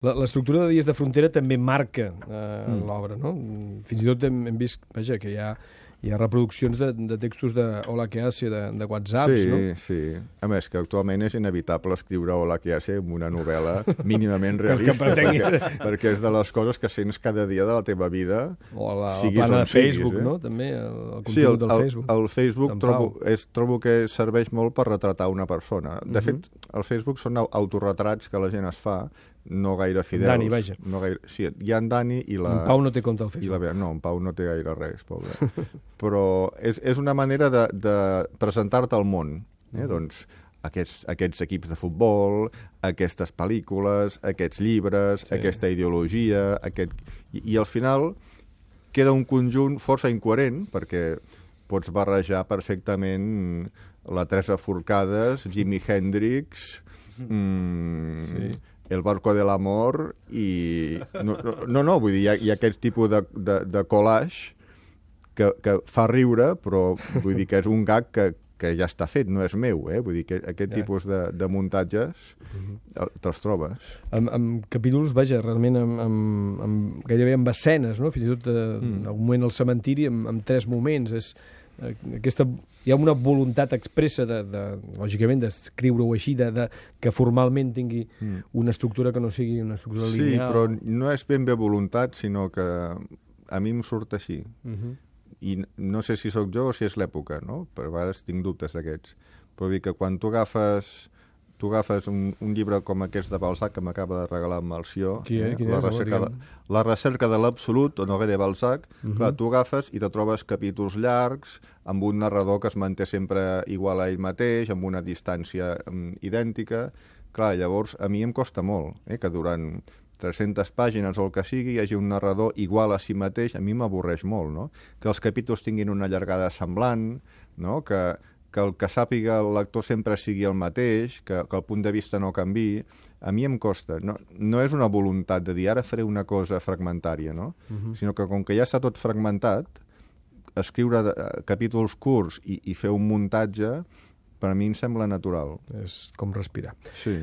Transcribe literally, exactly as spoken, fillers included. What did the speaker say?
L'estructura de Dies de Frontera també marca eh, Mm. l'obra, no? Fins i tot hem, hem vist, vaja, que hi ha, hi ha reproduccions de, de textos de Hola que hace, de, de WhatsApps, sí, no? Sí, sí. A més, que actualment és inevitable escriure Hola que hace en una novel·la mínimament Que realista, pretengui- perquè, perquè és de les coses que sents cada dia de la teva vida, O la, la siguis plana on de Facebook, siguis, eh? no? També, el, el contingut Sí, el, del el, Facebook. el Facebook d'en trobo, Pau. és, trobo que serveix molt per retratar una persona. De Mhm. fet, el Facebook són au- autorretrats que la gent es fa, no gaire fidels. Dani, vaja. No gaire, sí, hi ha en Dani i la... En Pau no té compte al I la Facebook. Bea. No, en Pau no té gaire res, pobre. Però és, és una manera de, de presentar-te al món. Eh? Doncs aquests, aquests equips de futbol, aquestes pel·lícules, aquests llibres, Sí. aquesta ideologia... Aquest... I, I al final queda un conjunt força incoherent, perquè pots barrejar perfectament la Teresa Forcades, Jimi Hendrix... Mm, Sí. El barco de l'amor i... No, no, no, vull dir, hi ha, hi ha aquest tipus de, de, de collage que, que fa riure, però vull dir que és un gag que, que ja està fet, no és meu, eh? Vull dir que aquest Ja. tipus de, de muntatges el- te'ls trobes. Amb, amb capítols, vaja, realment amb, amb, amb, gairebé amb escenes, no? Fins i tot eh, Mm. un moment al cementiri amb, amb tres moments. És, eh, aquesta, hi ha una voluntat expressa, de, de, lògicament, d'escriure-ho així, de, de, que formalment tingui Mm. una estructura que no sigui una estructura Sí, lineal. però no és ben bé voluntat, sinó que a mi em surt així. Uh -huh. I n- no sé si sóc jo o si és l'època, no? Per a vegades tinc dubtes d'aquests. Però dir que quan tu agafes, tu agafes un, un llibre com aquest de Balzac que m'acaba de regalar en Malció, Qui és? Quin la, és? Home, recerca de, digue'm. la recerca de l'absolut, Honoré de Balzac, Mhm. clar, tu agafes i te trobes capítols llargs, amb un narrador que es manté sempre igual a ell mateix, amb una distància mm, idèntica. Clar, llavors a mi em costa molt, eh, que durant tres-centes pàgines o el que sigui, hi hagi un narrador igual a si mateix, a mi m'avorreix molt, no? Que els capítols tinguin una llargada semblant, no? Que, que el que sàpiga el lector sempre sigui el mateix, que, que el punt de vista no canvi, a mi em costa. No, no és una voluntat de dir ara faré una cosa fragmentària, no? Mhm. Sinó que com que ja està tot fragmentat, escriure de, capítols curts i, i fer un muntatge, per a mi em sembla natural. És com respirar. Sí.